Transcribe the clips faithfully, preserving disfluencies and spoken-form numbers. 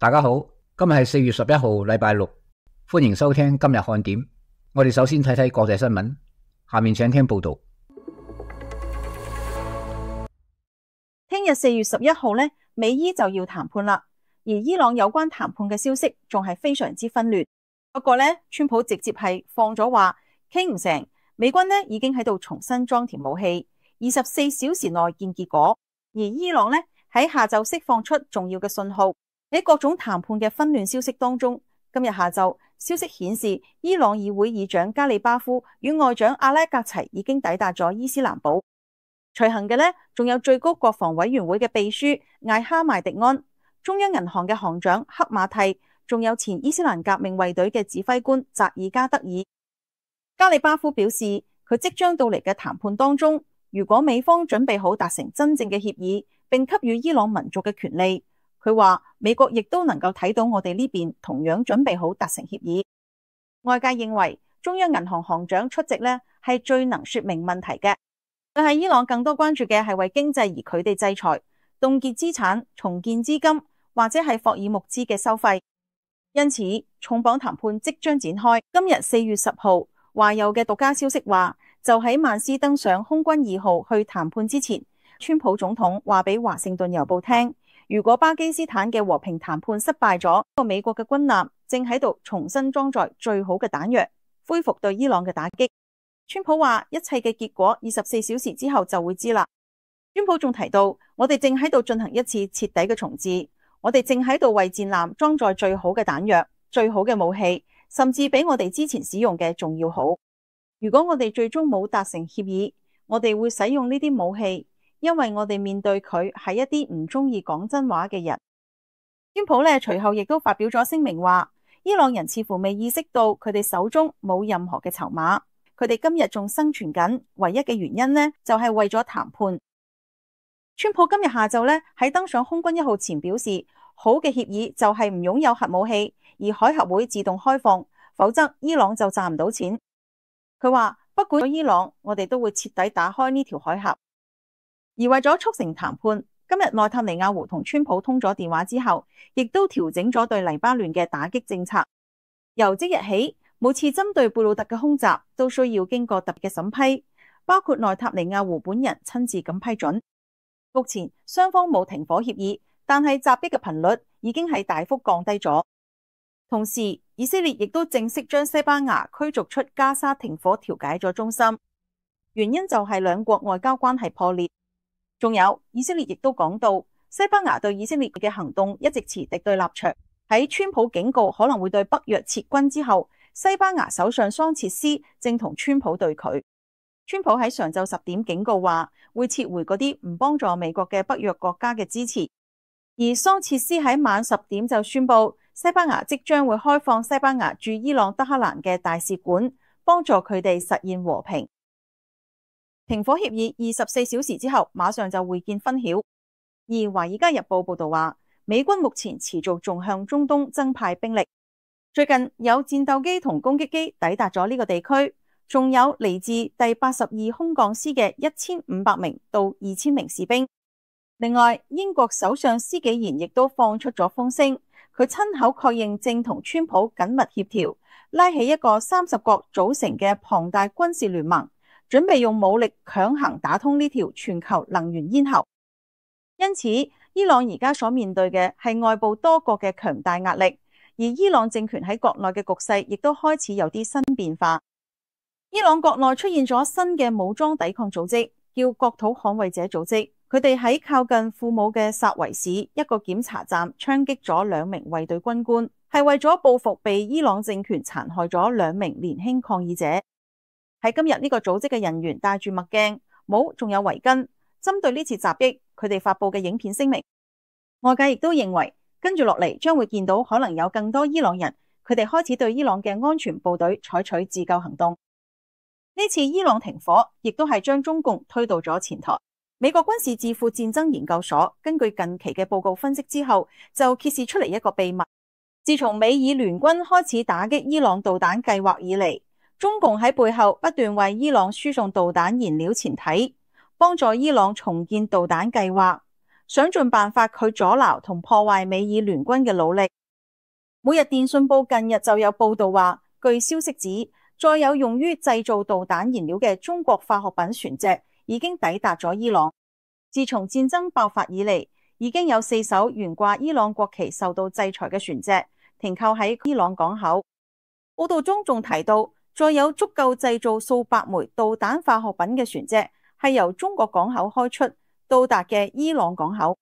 大家好，今日係四月十一號，禮拜六，歡迎收聽今日看點。我哋首先睇睇國際新聞，下面請聽報道。聽日四月十一號呢，美伊就要談判啦，而伊朗有關談判嘅消息仲係非常之紛亂。不過呢，川普直接係放咗話傾唔成，美軍呢已經喺度重新裝填武器，二十四小時內見結果。而伊朗呢喺下晝釋放出重要嘅信號。喺各種談判嘅紛亂消息當中，今日下晝消息顯示，伊朗議會議長加里巴夫與外長阿拉格齊已經抵達咗伊斯蘭堡。隨行嘅呢，仲有最高國防委員會嘅秘書艾哈邁迪安、中央銀行嘅行長克馬蒂，仲有前伊斯蘭革命衛隊嘅指揮官扎爾加德爾。加里巴夫表示，佢即將到嚟嘅談判當中，如果美方準備好達成真正嘅協議，並給予伊朗民族嘅權利，佢話美國亦都能夠睇到我哋呢邊同樣準備好達成協議。外界認為中央銀行行長出席呢係最能說明問題嘅，但係伊朗更多關注嘅係為經濟而佢哋制裁、凍結資產、重建資金或者係霍爾木茲嘅收費。因此重磅談判即將展開。今日四月十號，華郵嘅獨家消息話，就喺曼斯登上空軍二號去談判之前，川普總統話俾華盛頓郵報聽，如果巴基斯坦嘅和平談判失敗咗，個美國嘅軍艦正喺度重新裝載最好嘅彈藥，恢復對伊朗嘅打擊。川普話一切嘅結果二十四小時之後就會知啦。川普仲提到，我哋正喺度進行一次徹底嘅重置，我哋正喺度為戰艦裝載最好嘅彈藥、最好嘅武器，甚至比我哋之前使用嘅仲要好。如果我哋最終冇達成協議，我哋會使用呢啲武器，因為我哋面對佢係一啲唔中意講真話嘅人。川普呢隨後亦都發表咗聲明話，伊朗人似乎未意識到佢哋手中冇任何嘅籌碼，佢哋今日仲生存緊，唯一嘅原因呢就係為咗談判。川普今日下晝呢喺登上空軍一號前表示，好嘅協議就係唔擁有核武器，而海合會自動開放，否則伊朗就賺唔到錢。佢話不管伊朗，我哋都會徹底打開呢條海峽。而為咗促成談判，今日內塔尼亞胡同川普通咗電話之後，亦都調整咗對黎巴嫩嘅打擊政策。由即日起，每次針對貝魯特嘅空襲都需要經過特別嘅審批，包括內塔尼亞胡本人親自咁批准。目前雙方冇停火協議，但係襲擊嘅頻率已經係大幅降低咗。同時，以色列亦都正式將西班牙驅逐出加沙停火調解咗中心，原因就係兩國外交關係破裂。仲有，以色列亦都講到，西班牙對以色列嘅行動一直持敵對立場。喺川普警告可能會對北約撤軍之後，西班牙首相桑切斯正同川普對峙。川普喺上晝十點警告話，會撤回嗰啲唔幫助美國嘅北約國家嘅支持。而桑切斯喺晚十點就宣布，西班牙即將會開放西班牙駐伊朗德黑蘭嘅大使館，幫助佢哋實現和平。停火協議二十四小時之後，馬上就會見分曉。而《華爾街日報》報道話，美軍目前持續仲向中東增派兵力。最近有戰鬥機同攻擊機抵達咗呢個地區，仲有嚟自第八十二空降師嘅一千五百名到二千名士兵。另外，英國首相施紀賢亦都放出咗風聲，佢親口確認正同川普緊密協調，拉起一個三十國組成嘅龐大軍事聯盟，準備用武力強行打通呢條全球能源咽喉。因此，伊朗而家所面對嘅係外部多國嘅強大壓力，而伊朗政權喺國內嘅局勢亦都開始有啲新變化。伊朗國內出現咗新嘅武裝抵抗組織，叫國土捍衛者組織。佢哋喺靠近庫姆嘅薩維市一個檢查站槍擊咗兩名衛隊軍官，係為咗報復被伊朗政權殘害咗兩名年輕抗議者。喺今日呢個組織嘅人員戴住墨鏡、帽，仲有圍巾。針對呢次襲擊，佢哋發佈嘅影片聲明，外界亦都認為跟住落嚟將會見到可能有更多伊朗人，佢哋開始對伊朗嘅安全部隊採取自救行動。呢次伊朗停火亦都係將中共推到咗前台。美國軍事智庫戰爭研究所根據近期嘅報告分析之後，就揭示出嚟一個秘密。自從美以聯軍開始打擊伊朗導彈計劃以嚟，中共喺背後不斷為伊朗輸送導彈燃料前體，幫助伊朗重建導彈計劃。想盡辦法去阻撓同破壞美伊聯軍嘅努力。每日電訊報近日就有報道話，據消息指，載有用於製造導彈燃料嘅中國化學品船隻已經抵達咗伊朗。自從戰爭爆發以嚟，已經有四艘懸掛伊朗國旗受到制裁嘅船隻停靠喺伊朗港口。報道中仲提到，載有足夠製造數百枚導彈化學品嘅船隻係由中國港口開出，到達嘅伊朗港口。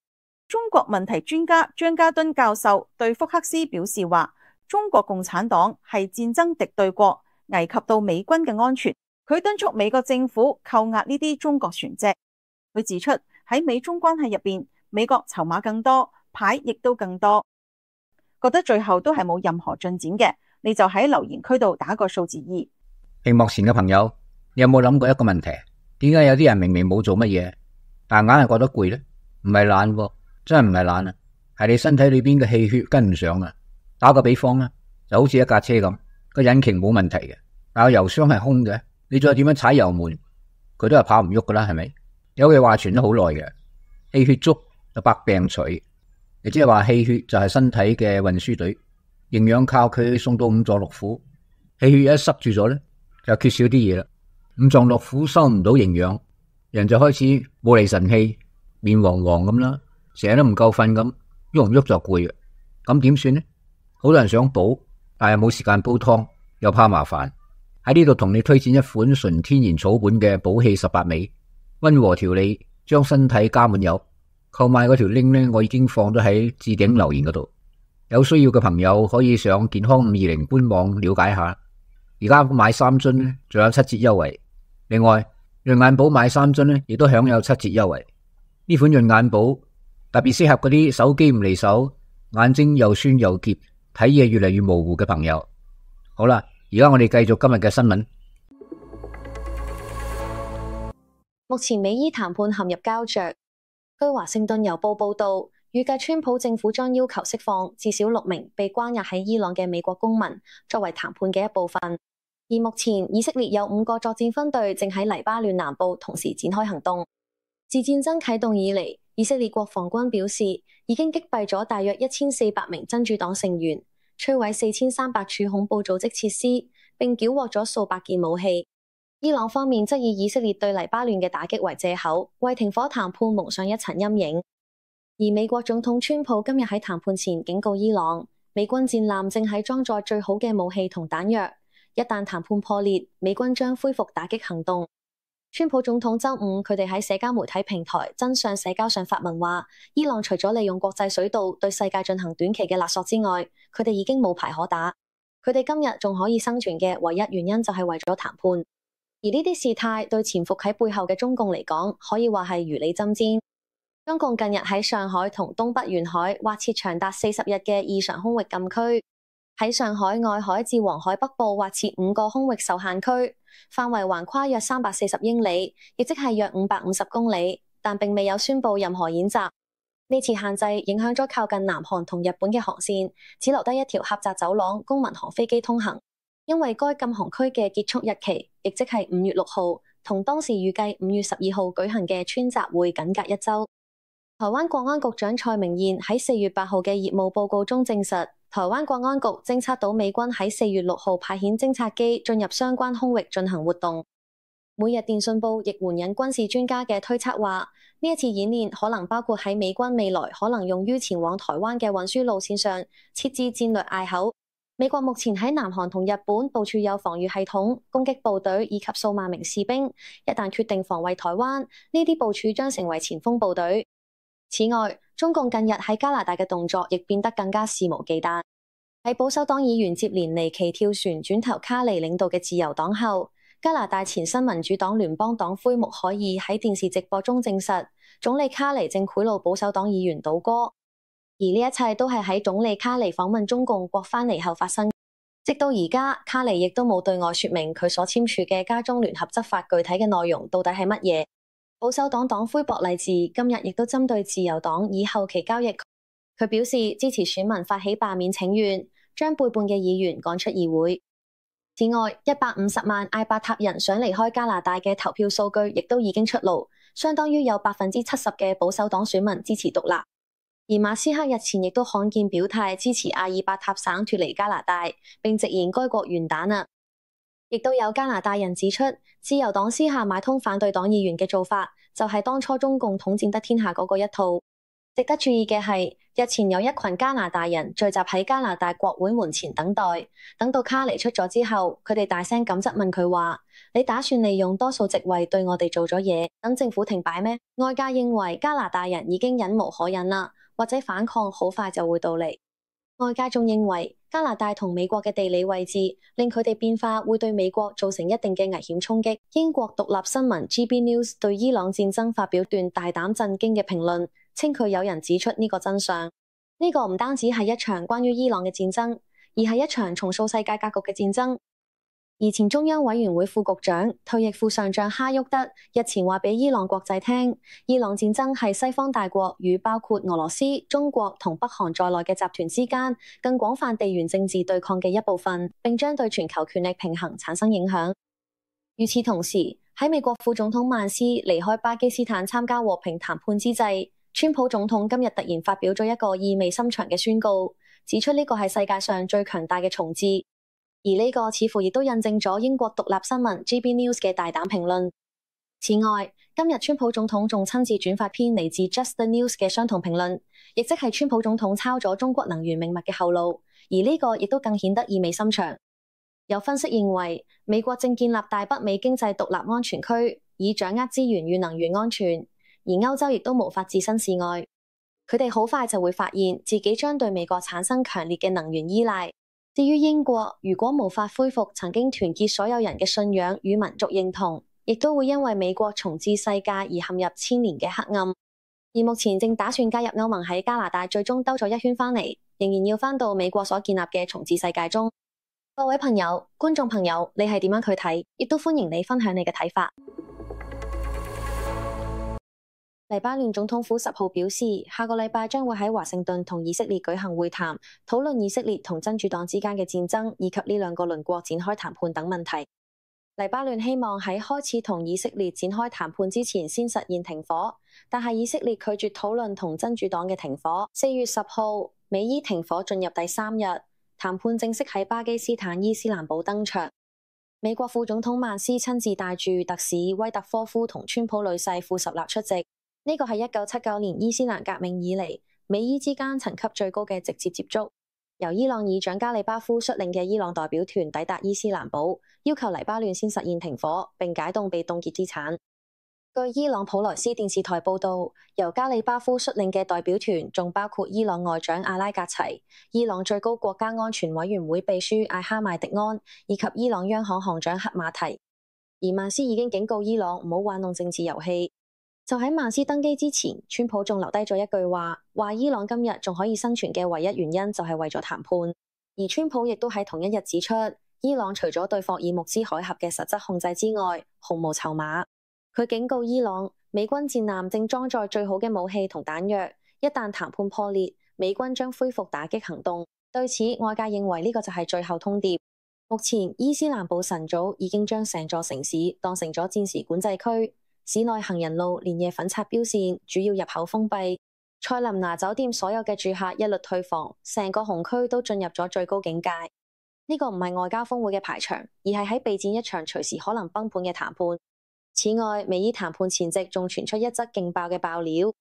中國問題專家張家敦教授對福克斯表示話，中國共產黨係戰爭敵對國，危及到美軍嘅安全。佢敦促美國政府扣押呢啲中國船隻。佢指出，喺美中關係入邊，美國籌碼更多，牌亦都更多。覺得最後都係冇任何進展嘅，你就喺留言區度打個數字二。屏幕前嘅朋友，你有冇諗過一個問題？點解有啲人明明冇做乜嘢，但硬係覺得攰呢？唔係懶喎，真係唔係懶啊，係你身體裏邊嘅氣血跟唔上啊。打個比方啦，就好似一架車咁，個引擎冇問題嘅，但係油箱係空嘅，你再點樣踩油門，佢都係跑唔喐噶啦，係咪？有句話傳咗好耐嘅，氣血足就百病除，亦即係話氣血就係身體嘅運輸隊，營養靠佢送到五臟六腑，氣血一塞住咗咧，就缺少啲嘢啦。五臟六腑收唔到營養，人就開始冇厘神氣，面黃黃咁啦，成日都唔夠瞓咁，喐唔喐就攰嘅，咁點算呢？好多人想補，但係冇時間煲湯，又怕麻煩。喺呢度同你推薦一款純天然草本嘅補氣十八味，溫和調理，將身體加滿油。購買嗰條 link 呢，我已經放咗喺置頂留言嗰度，有需要嘅朋友可以上健康五二零官網了解下。而家買三樽呢，仲有七折優惠。另外，潤眼寶買三樽呢，亦都享有七折優惠。呢款潤眼寶特別適合嗰啲手機唔離手、眼睛又酸又澀、睇嘢越嚟越模糊嘅朋友。好啦，而家我哋繼續今日嘅新聞。目前美伊談判陷入膠着。據華盛頓郵報報道，預計川普政府將要求釋放至少六名被關押喺伊朗嘅美國公民，作為談判嘅一部分。而目前以色列有五個作戰分隊正喺黎巴嫩南部同時展開行動。自戰爭啟動以嚟，以色列國防軍表示已經擊斃咗大約一千四百名真主黨成員，摧毀四千三百處恐怖組織設施，並繳獲咗數百件武器。伊朗方面則以以色列對黎巴嫩嘅打擊為借口，為停火談判蒙上一層陰影。而美國總統川普今日喺談判前警告伊朗，美軍戰艦正喺裝載最好嘅武器同彈藥，一旦談判破裂，美軍將恢復打擊行動。川普總統周五佢哋喺社交媒體平台真相社交上發文話，伊朗除咗利用國際水道對世界進行短期嘅勒索之外，佢哋已經冇牌可打。佢哋今日仲可以生存嘅唯一原因就係為咗談判。而呢啲事態對潛伏喺背後嘅中共嚟講，可以話係如履針氈。中共近日喺上海同東北沿海劃設長達四十日嘅異常空域禁區，喺上海外海至黃海北部劃設五個空域受限區，範圍橫跨約三百四十英里，亦即係約五百五十公里，但並未有宣布任何演習。呢次限制影響咗靠近南韓同日本嘅航線，只留低一條狹窄走廊供民航飛機通行。因為該禁航區嘅結束日期，亦即係五月六號，同當時預計五月十二號舉行嘅川習會僅隔一周。台灣國安局長蔡明彥喺四月八號嘅業務報告中證實，台灣國安局偵測到美軍喺四月六號派遣偵察機進入相關空域進行活動。每日電訊報亦援引軍事專家嘅推測話，呢一次演練可能包括喺美軍未來可能用於前往台灣嘅運輸路線上設置戰略隘口。美國目前喺南韓同日本部署有防禦系統、攻擊部隊以及數萬名士兵，一旦決定防衛台灣，呢啲部署將成為前鋒部隊。此外，中共近日喺加拿大嘅動作亦變得更加肆無忌憚。喺保守黨議員接連尼奇跳船轉投卡尼領導嘅自由黨後，加拿大前新民主黨聯邦黨魁穆凱爾喺電視直播中證實，總理卡尼正賄賂保守黨議員倒戈。而呢一切都係喺總理卡尼訪問中共國返嚟後發生。直到而家，卡尼亦都冇對外說明佢所簽署嘅加中聯合執法具體嘅內容到底係乜嘢。保守黨黨魁博勵治今日亦都針對自由黨以後期交易，佢表示支持選民發起罷免請願，將背叛嘅議員趕出議會。此外，一百五十萬艾伯塔人想離開加拿大嘅投票數據亦都已經出爐，相當於有百分之七十嘅保守黨選民支持獨立。而馬斯克日前亦都罕見表態支持阿爾伯塔省脫離加拿大，並直言該國完蛋啦。亦都有加拿大人指出，自由黨私下買通反對黨議員嘅做法，就係當初中共統戰得天下嗰個一套。值得注意嘅係，日前有一群加拿大人聚集喺加拿大國會門前等待，等到卡尼出咗之後，佢哋大聲咁質問佢話：你打算利用多數席位對我哋做咗嘢，等政府停擺咩？外界認為加拿大人已經忍無可忍啦，或者反抗好快就會到嚟。外界仲認為加拿大同美國嘅地理位置令佢哋變化會對美國造成一定嘅危險衝擊。英國獨立新聞 G B News 對伊朗戰爭發表段大膽震驚嘅評論，稱佢有人指出呢個真相。呢個唔單止係一場關於伊朗嘅戰爭，而係一場重塑世界格局嘅戰爭。而前中央委員會副局長、退役副上將哈沃德日前話俾伊朗國際聽，伊朗戰爭係西方大國與包括俄羅斯、中國同北韓在內嘅集團之間更廣泛地緣政治對抗嘅一部分，並將對全球權力平衡產生影響。與此同時，喺美國副總統曼斯離開巴基斯坦參加和平談判之際，川普總統今日突然發表咗一個意味深長嘅宣告，指出呢個係世界上最強大嘅重置。而呢個似乎亦都印證咗英國獨立新聞 G B News 嘅大膽評論。此外，今日川普總統仲親自轉發篇嚟自 Just the News 嘅相同評論，亦即係川普總統抄咗中國能源命脈嘅後路。而呢個亦都更顯得意味深長。有分析認為，美國正建立大北美經濟獨立安全區，以掌握資源與能源安全。而歐洲亦都無法置身事外，佢哋好快就會發現自己將對美國產生強烈嘅能源依賴。至於英國，如果無法恢復曾經團結所有人嘅信仰與民族認同，亦都會因為美國重置世界而陷入千年嘅黑暗。而目前正打算加入歐盟喺加拿大最終兜咗一圈返嚟，仍然要返到美國所建立嘅重置世界中。各位朋友、觀眾朋友，你係點樣去睇？亦都歡迎你分享你嘅睇法。黎巴嫩總統府十號表示，下個禮拜將會喺華盛頓同以色列舉行會談，討論以色列同真主黨之間嘅戰爭，以及呢兩個鄰國展開談判等問題。黎巴嫩希望喺開始同以色列展開談判之前先實現停火，但係以色列拒絕討論同真主黨嘅停火。四月十號，美伊停火進入第三日，談判正式喺巴基斯坦伊斯蘭堡登場。美國副總統曼斯親自帶住特使威特科夫同川普女婿庫什納出席。呢個係一九七九年伊斯蘭革命以嚟美伊之間層級最高嘅直接接觸。由伊朗議長加里巴夫率領嘅伊朗代表團抵達伊斯蘭堡，要求黎巴嫩先實現停火並解凍被凍結資產。據伊朗普萊斯電視台報導，由加里巴夫率領嘅代表團仲包括伊朗外長阿拉格齊、伊朗最高國家安全委員會秘書艾哈邁迪安以及伊朗央行行長克馬提。而曼斯已經警告伊朗唔好玩弄政治遊戲。就喺曼斯登基之前，川普仲留低咗一句話，話伊朗今日仲可以生存嘅唯一原因就係為咗談判。而川普亦都喺同一日指出，伊朗除咗對霍爾木茲海峽嘅實質控制之外，毫無籌碼。佢警告伊朗，美軍戰艦正裝載最好嘅武器同彈藥，一旦談判破裂，美軍將恢復打擊行動。對此，外界認為呢個就係最後通牒。目前，伊斯蘭堡晨早已經將成座城市當成咗戰時管制區。市內行人路連夜粉刷標線，主要入口封閉。塞林拿酒店所有嘅住客一律退房，成個紅區都進入咗最高警戒。呢個唔係外交峰會嘅排場，而係喺備戰一場隨時可能崩盤嘅談判。此外，美伊談判前夕仲傳出一則勁爆嘅爆料。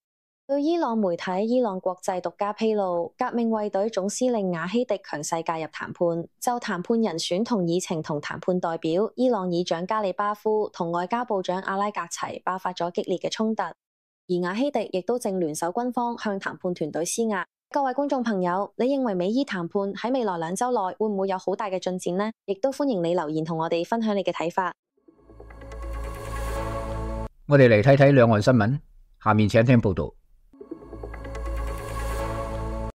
據伊朗媒體伊朗國際獨家披露，革命衛隊總司令瓦希迪強勢介入談判，就談判人選同議程同談判代表伊朗議長加里巴夫同外交部長阿拉格齊爆發咗激烈嘅衝突，而瓦希迪亦都正聯手軍方向談判團隊施壓。各位觀眾朋友，你認為美伊談判喺未來兩週內會唔會有好大嘅進展呢？亦都歡迎你留言同我哋分享你嘅睇法。我哋嚟睇睇兩岸新聞，下面請聽報道。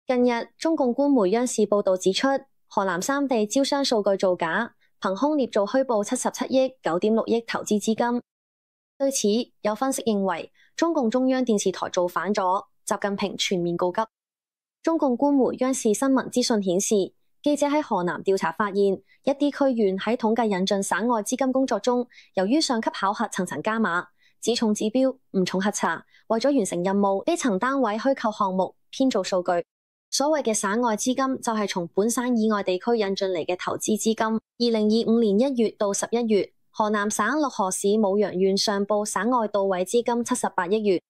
近日，中共官媒央視報道指出，河南三地招商數據造假，憑空捏造虛報七十七億九點六億投資資金。對此，有分析認為，中共中央電視台造反咗，習近平全面告急。中共官媒央視新聞資訊顯示，記者喺河南調查發現，一啲區縣喺統計引進省外資金工作中，由於上級考核層層加碼，只重指標，唔重核查。為咗完成任務，基層單位虛構項目，編造數據。所謂嘅省外資金就係從本省以外地區引進嚟嘅投資資金。二零二五年一月到十一月，河南省漯河市舞陽縣上報省外到位資金七十八億元，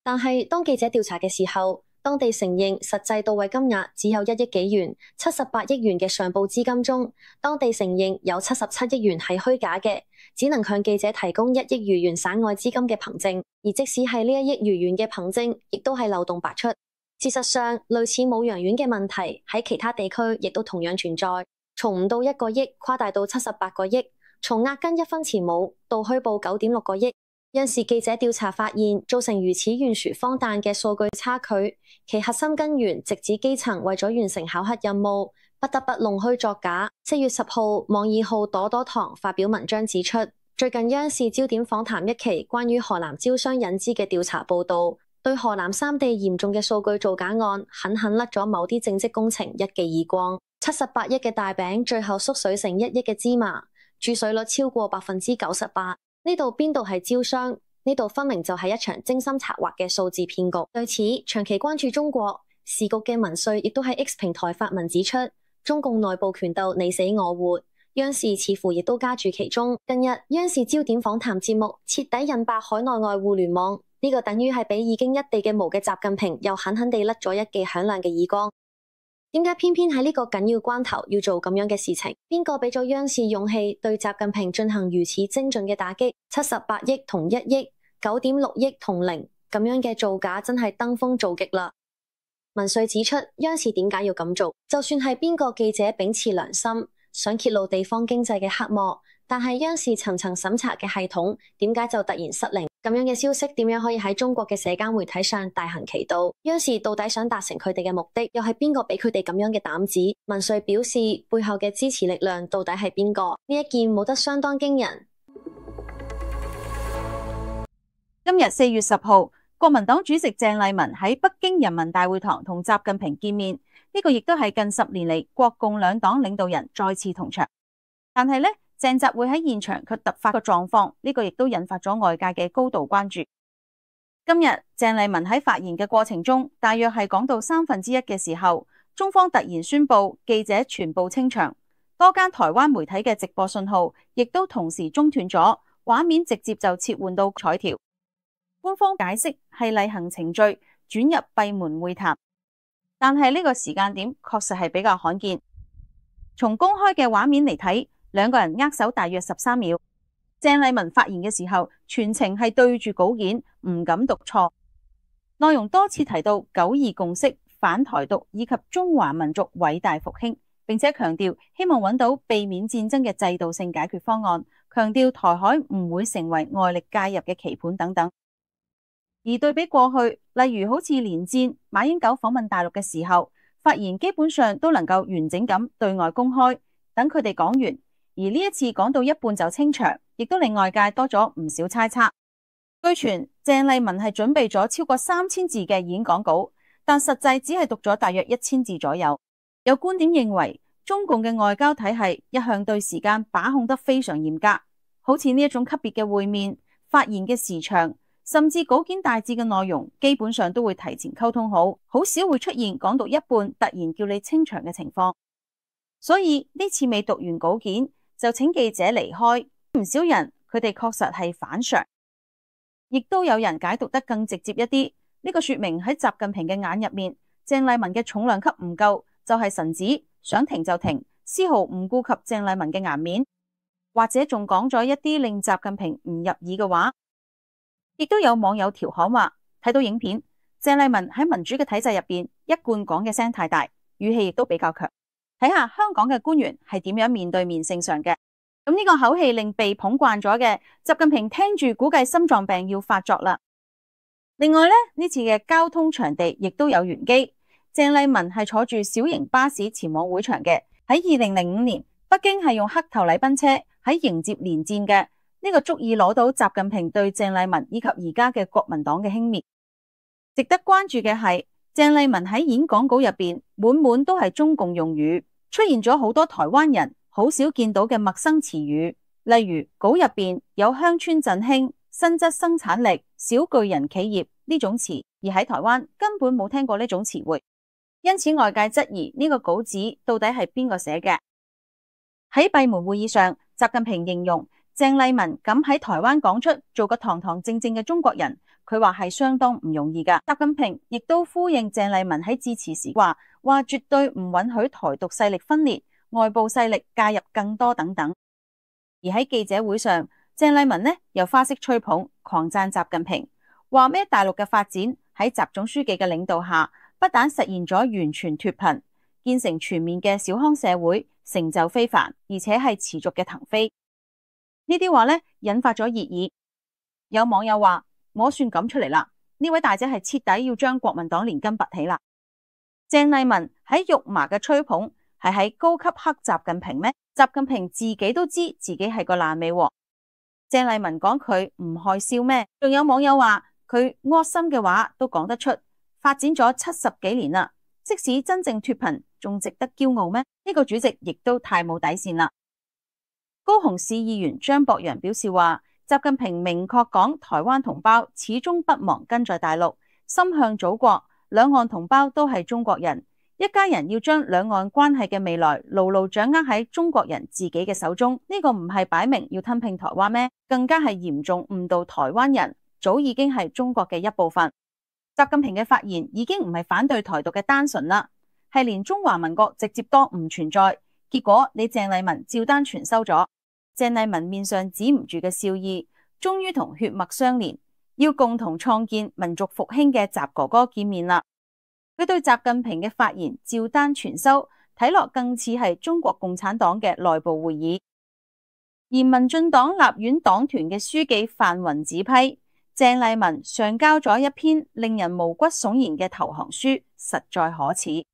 但係當記者調查嘅時候，當地承認實際到位金額只有一億幾元。七十八億元嘅上報資金中，當地承認有七十七億元係虛假嘅，只能向記者提供一億餘元省外資金嘅憑證，而即使係呢一億餘元嘅憑證，亦都係漏洞百出。事實上，類似舞陽縣嘅問題喺其他地區亦都同樣存在，從唔到一個億誇大到七十八個億，從押金一分錢冇到虛報九點六個億。因時記者調查發現，造成如此懸殊荒誕嘅數據差距，其核心根源直指基層為咗完成考核任務，不得不弄虛作假。四月十號，網易號朵朵堂發表文章指出，最近央視焦點訪談一期關於河南招商引資嘅調查報道，對河南三地嚴重嘅數據造假案，狠狠甩咗某啲政績工程一記耳光。七十八億嘅大餅，最後縮水成一億嘅芝麻，注水率超過百分之九十八。呢度邊度係招商？呢度分明就係一場精心策劃嘅數字騙局。對此，長期關注中國時局嘅文瑞亦都喺 X 平台發文指出，中共內部權鬥你死我活，央視似乎亦都加注其中。近日，央視焦點訪談節目徹底引爆海內外互聯網，呢、這個等於係俾已經一地嘅毛嘅習近平又狠狠地甩咗一記響亮嘅耳光。點解偏偏喺呢個緊要關頭要做咁樣嘅事情？邊個俾咗央視勇氣對習近平進行如此精準嘅打擊？七十八億同一億，九點六億同零，咁樣嘅造假真係登峰造極啦！文瑞指出，央視點解要咁做？就算係邊個記者秉持良心，想揭露地方經濟嘅黑幕，但係央視層層審查嘅系統，點解就突然失靈？咁樣嘅消息點樣可以喺中國嘅社交媒體上大行其道？央視到底想達成佢哋嘅目的，又係邊個俾佢哋咁樣嘅膽子？文瑞表示，背後嘅支持力量到底係邊個？呢一件冇得相當驚人。今日四月十號，國民黨主席鄭麗文喺北京人民大會堂同習近平見面，呢個亦都係近十年嚟國共兩黨領導人再次同場。但係呢，鄭習會喺現場卻突發個狀況，呢個亦都引發咗外界嘅高度關注。今日鄭麗文喺發言嘅過程中，大約係講到三分之一嘅時候，中方突然宣布記者全部清場，多間台灣媒體嘅直播信號亦都同時中斷咗，畫面直接就切換到彩條。官方解釋係例行程序，轉入閉門會談，但係呢個時間點確實係比較罕見。從公開嘅畫面嚟睇，兩個人握手大約十三秒。鄭麗文發言嘅時候，全程係對住稿件，唔敢讀錯。內容多次提到九二共識、反台獨以及中華民族偉大復興，並且強調希望揾到避免戰爭嘅制度性解決方案，強調台海唔會成為外力介入嘅棋盤等等。而對比過去，例如好似連戰、馬英九訪問大陸嘅時候，發言基本上都能夠完整咁對外公開，等佢哋講完。而呢一次講到一半就清場，亦都令外界多咗唔少猜測。據傳鄭麗文係準備咗超過三千字嘅演講稿，但實際只係讀咗大約一千字左右。有觀點認為，中共嘅外交體系一向對時間把控得非常嚴格，好似呢一種級別嘅會面、發言嘅時長，甚至稿件大致嘅內容，基本上都會提前溝通好，好少會出現講到一半突然叫你清場嘅情況。所以呢次未讀完稿件就請記者離開，唔少人佢哋確實係反常，亦都有人解讀得更直接一啲。呢個說明喺習近平嘅眼入面，鄭麗文嘅重量級唔夠，就係臣子，想停就停，絲毫唔顧及鄭麗文嘅顏面，或者仲講咗一啲令習近平唔入耳嘅話。亦都有網友調侃話，睇到影片，鄭麗文喺民主嘅體制入邊，一貫講嘅聲太大，語氣亦都比較強。睇下香港嘅官員係點樣面對面聖上嘅。咁呢個口氣令被捧慣咗嘅習近平聽住，估計心臟病要發作啦。另外呢，呢次嘅交通場地亦都有玄機。鄭麗文係坐住小型巴士前往會場嘅。喺二零零五年，北京係用黑頭禮賓車喺迎接連戰嘅，呢個足以攞到習近平對鄭麗文以及而家嘅國民黨嘅輕蔑。值得關注嘅係，鄭麗文喺演講稿入邊滿滿都係中共用語，出現咗好多台灣人好少見到嘅陌生詞語，例如稿入邊有鄉村振興、新質生產力、小巨人企業呢種詞，而喺台灣根本冇聽過呢種詞彙，因此外界質疑呢個稿子到底係邊個寫嘅。喺閉門會議上，習近平形容鄭麗文敢喺台灣講出做個堂堂正正嘅中國人，佢話係相當唔容易噶。習近平亦都呼應鄭麗文喺致辭時話，話絕對唔允許台獨勢力分裂、外部勢力介入更多等等。而喺記者會上，鄭麗文呢又花式吹捧，狂讚習近平，話咩大陸嘅發展喺習總書記嘅領導下，不但實現咗完全脫貧，建成全面嘅小康社會，成就非凡，而且係持續嘅騰飛。呢啲話呢引發咗熱議，有網友話我算咁出嚟啦，呢位大姐係徹底要將國民黨連根拔起啦。鄭麗文喺肉麻嘅吹捧，係喺高級黑習近平咩？習近平自己都知自己係個爛尾喎。鄭麗文講佢唔害臊咩？仲有網友話佢惡心嘅話都講得出，發展咗七十幾年啦，即使真正脫貧，仲值得驕傲咩？呢個主席亦都太冇底線啦。高雄市議員張博洋表示話，習近平明確講台灣同胞始終不忘根在大陸，心向祖國，兩岸同胞都係中國人，一家人要將兩岸關係嘅未來牢牢掌握喺中國人自己嘅手中。呢個唔係擺明要吞併台灣咩？更加係嚴重誤導台灣人早已經係中國嘅一部分。習近平嘅發言已經唔係反對台獨嘅單純啦，係連中華民國直接都唔存在。結果你鄭麗文照單全收咗。鄭麗文面上止唔住嘅笑意，終於同血脈相連，要共同創建民族復興嘅習哥哥見面啦。佢對習近平嘅發言照單全收，睇落更似係中國共產黨嘅內部會議。而民進黨立院黨團嘅書記范雲指批鄭麗文上交咗一篇令人毛骨悚然嘅投降書，實在可恥。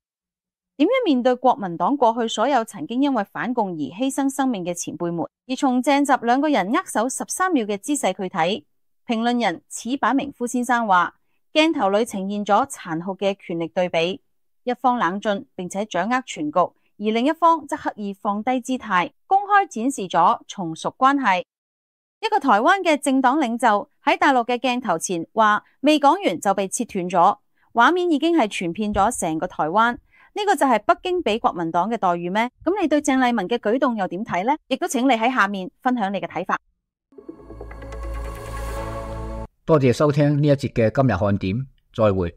點樣面對國民黨過去所有曾經因為反共而犧牲生命嘅前輩們？而從鄭習兩個人握手十三秒嘅姿勢去睇，評論人矢板明夫先生話，鏡頭裏呈現咗殘酷嘅權力對比，一方冷峻並且掌握全局，而另一方則刻意放低姿態，公開展示咗從屬關係。一個台灣嘅政黨領袖喺大陸嘅鏡頭前話未講完就被切斷咗，畫面已經係傳遍咗成個台灣。呢個就係北京俾國民黨嘅待遇咩？咁你對鄭麗文嘅舉動又點睇呢？亦都請你喺下面分享你嘅睇法。多謝收聽呢一節嘅今日看點，再會。